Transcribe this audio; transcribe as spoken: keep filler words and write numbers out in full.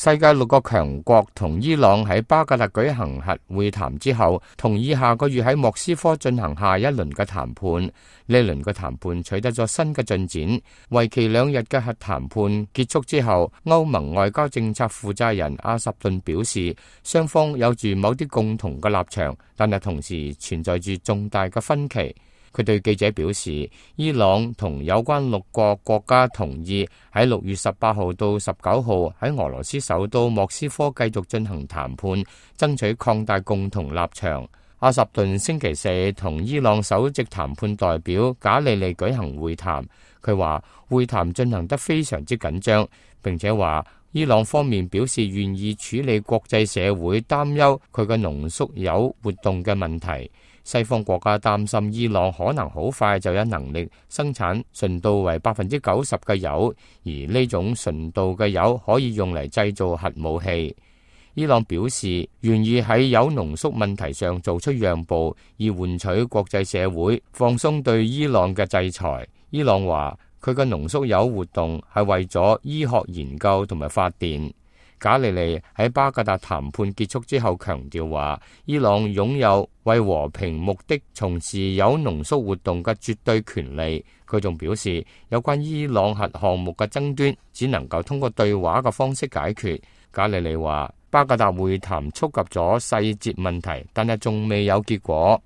世界六個強國同伊朗喺巴格達舉行核會談之後，同意下個月喺莫斯科進行下一輪嘅談判。呢輪嘅談判取得咗新嘅進展，為期兩日嘅核談判結束之後，歐盟外交政策負責人阿什頓表示，雙方有住某啲共同嘅立場，但係同時存在住重大嘅分歧。佢對記者表示，伊朗同有關六個國家同意喺六月十八號到十九號喺俄羅斯首都莫斯科繼續進行談判，爭取擴大共同立場。阿什頓星期四同伊朗首席談判代表賈利利舉行會談，佢話會談進行得非常之緊張，並且話伊朗方面表示願意處理國際社會擔憂佢嘅濃縮鈾活動嘅問題。西方國家擔心伊朗可能好快就有能力生產純度為百分之九十嘅鈾，而呢種純度嘅鈾可以用嚟製造核武器。伊朗表示願意喺鈾濃縮問題上做出讓步，以換取國際社會放鬆對伊朗嘅制裁。伊朗話佢嘅濃縮鈾活動係為咗醫學研究同埋發電。賈利利喺巴格達談判結束之後強調話，伊朗擁有為和平目的從事鈾濃縮活動嘅絕對權利。佢仲表示，有關伊朗核項目嘅爭端只能夠通過對話嘅方式解決。賈利利話，巴格達會談觸及咗細節問題，但係仲未有結果。